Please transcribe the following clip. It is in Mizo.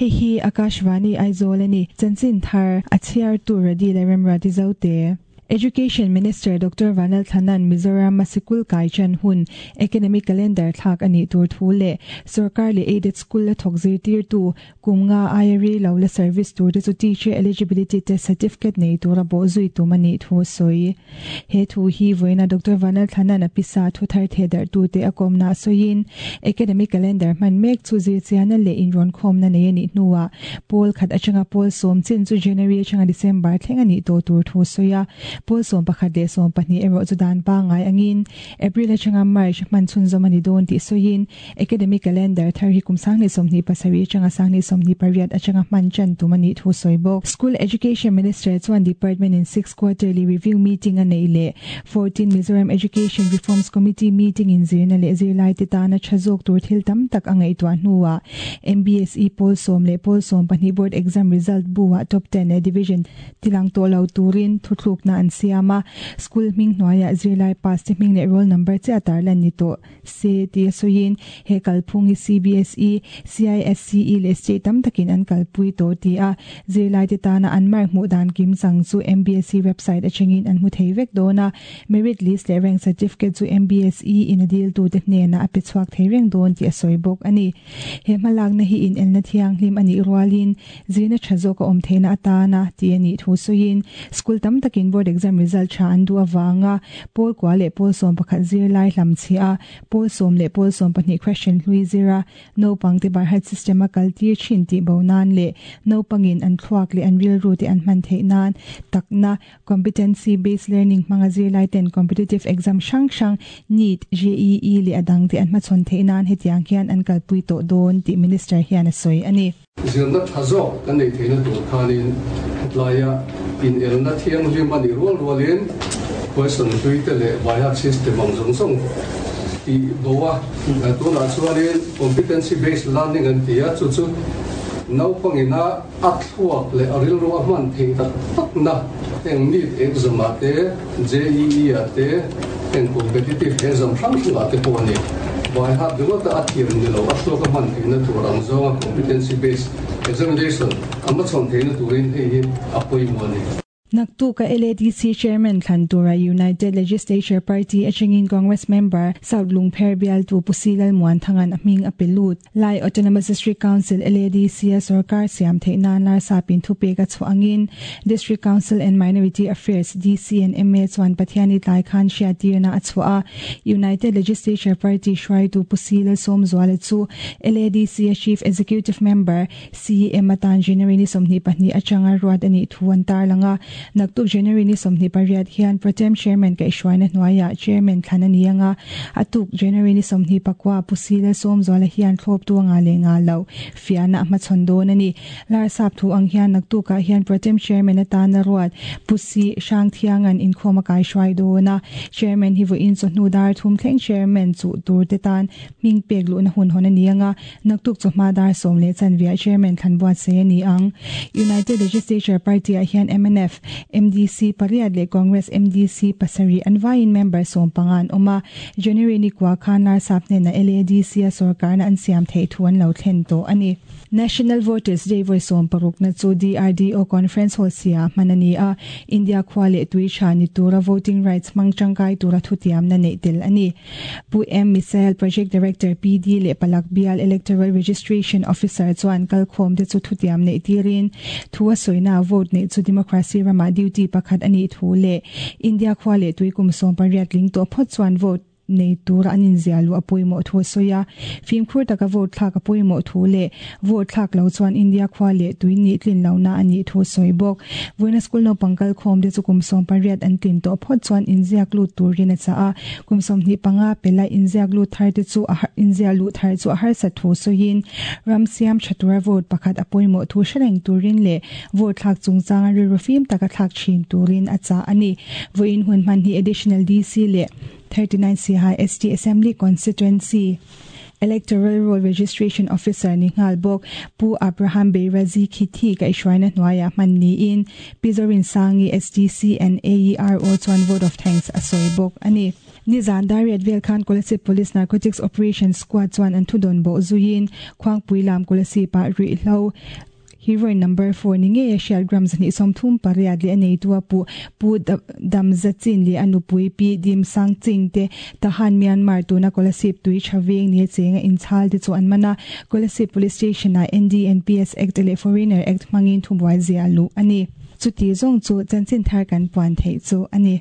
Hei hi Akashvani Aizawl a ni. Chanchin thar a chhiartu Radi leh Remruati Zote. Education Minister Doctor Vanal Thanan Mizoram a sikul kai chan hun academic calendar thlak a nih tur thu leh sorkar leh aided school a thawk zirtirtu kum nga aia rei lo la service tur te chu teacher eligibility test certificate nei tura bawh zui tum a nih thu a sawi. He thu hi vawiina Doctor Vanal Thlanan a pisa thu thar theh darh tute a kawmna a sawiin academic calendar hman mek chu zirchiana leh inrawnkhawmna nei a nih hnuah Pawl khat atanga pawl sawm chin chu January atanga December thleng a nih tawh tur thu sawi a, pawl 11 leh 12 erawh chu dan pangngai angin April atanga March hman chhunzawm a ni dawn tih sawiin Academic Calendar thar hi kum 2027 atanga 2028 atanga hman chan tum a nih thu sawi bawk. School Education Minister chuan Department in Six Quarterly Review Meeting a neih leh 14 Mizoram Education Reforms Committee meeting in zirna leh zirlaite tana tha zawk tur thil tam tak a ngaihtuah hnuah MBSE pawl sawm leh pawl 12 board exam result bu-ah top ten leh division tilang tawh lo turin thuthlukna an siam a, school hming hnuaiah zirlai pass te hming leh roll number chiah tarlan ni tawh se tia sawiin he kalphung hi CBSE, CISCE leh state tam takin an kalpui tawh ti a, zirlaite tana an mark hmuh dan kim chang chu MBSE website atangin an hmu thei vek dawn a, merit list leh rank certificate chu MBSE in a diltute hnenah a pe chhuak thei reng dawn tih a sawi bawk a ni. He hmalakna hi inelna thianghlim a nih rualin zirna tha zawk a awm theihna atana tih a nih thu sawiin school tam takin board exam result tha an duh avanga pawl kua leh pawl 11 zirlai hlam chhia a, pawl sawm leh pawl 12 question hlui zira naupangte barhat system a kaltir thin tih bo nan leh naupangin an thluak leh an rilru te an hman theih nan takna Competency Based Learning hmanga zirlai ten competitive exam hrang hrang NEET, JEE leh a dang te an hmachhawn theih nan hetiang hian an kalpui tawh dawn tih Minister hian a sawi a ni. Zirna tha zawk kan neih theihna tur khanin hetlaiah inelna thianghlim a nih rual rualin question hlui te leh vaihat system ang zawng zawng tih bo a, tunah chuanin Competency Based Learning an ti a, chu chu naupangina A thluak leh a rilru a hman theih tak takna heng NEET exam ah te, JEE ah te, heng competitive exam hrang hrang ah te pawh a ni. Vaihat ringawta a thiam ni lo, a thluak a hman theihna tur ang zawnga competency based examination a hmachhawn theihna turin hei hi a pawimawh a ni. Naktuka LADC Chairman thlan tura United Legislature Party atangin Congress member South Lungpher bialtu Pu Si Lalmuanthanga'n a hming a pe lut. Lai Autonomous District Council, LADC, a sorkar siam theih nan Larsapin thupek a chhuah angin District Council and Minority Affairs, DC and ma, chuan Pathiani tlai khan hriattirna a chhuah a. United Legislature Party hruaitu Pu Si Lalsawmzuala chu LADC a Chief Executive Member, CEM atan January ni 22 atanga ruat a nih thu an tarlang a, naktuk January ni 28 hian Protem Chairman kaihhruaina hnuaiah Chairman thlan a ni ang a, a tuk January ni 24 Pu Sila Sawmzuala hian thlawptu a ngah leh ngah loh fiahna a hmachhawn dawn a ni. Larsap thu ang hian naktukah hian Protem Chairman atana ruat Pu Si Hrangthianga'n inkhawm a kaihruai dawn a, Chairman hi vawiin chawhnu dar thum thleng Chairman chuh tur te tan Hming pek luhna hun hawn a ni ang a, naktuk chawhma dar sawm leh chanviah Chairman thlan buatsaih a ni ang. United Legislature Party-ah hian mnf, MDC pariat leh Congress MDC pasarih an vaiin member 15 an awm a, January ni kua khan Larsap hnenah LADC-a sorkarna an siam theih thu an lo thlen tawh a ni. National Voters Day vawi 60na chu DRDO Conference Hall sia hman a ni a, India khua leh tui tha ni tura voting rights hmang tangkai tura thutiamna neih tel a ni. Pu M. Misael, Project Director, PD leh Palak Bial Electoral Registration Officer chuan kalkhawm te chu thutiam neih tirin thu a sawina vote neih chu democracy ramah duty pakhat a nih thu leh India khua leh tui kum 18 tling tawh phawt chuan vote nei tura an inziah luh a pawimawh thu a sawi a. Fimkhur taka vote thlak a pawimawh thu leh vote thlak lo chuan India khua leh tui nih tlin lohna a nih thu a sawi bawk. Vawiina school naupang kalkhawm te chu kum 18 an tlin tawh phawt chuan inziak lut turin a chah a. Kum 25 pela inziak lut thar te chu a inziah luh thar chu a harsat thu sawiin ram siam tha tura vote pakhat a pawimawh thu hre reng turin leh vote thlak chungchanga rilru fim taka thlak thin turin a chah a ni. Vawiin hun hman hi Additional DC leh 39 Siaha ST Assembly Constituency. Electoral Roll Registration Officer ni nghal bawk Pu Abraham Beirazi Khithi kaihhruaina hnuaiah hman niin Pi Zorinsangi SDC and AERO chuan vote of thanks a sawi bawk a ni. Nizan Dariat vel khan Kolasib Police Narcotics Operation Squad chuan an thudawn bawh zuiin Khuangpui lam Kolasib-ah ruihhlo Heroin number 4 ni ngei a hriat gram 138 leh a neitu a puh Pu Damza Chin leh a nupui Pi Dim Sang Ching te Tahan Myanmar tuna Kolasib tui tha veng ni a chenga inchhal te chu an man a, Kolasib Police Station ah NDNPS Act leh Foreigner Act hmangin thubuai zia luh a ni. Chuti zawng chu chanchin thar kan puan theih chu a ni.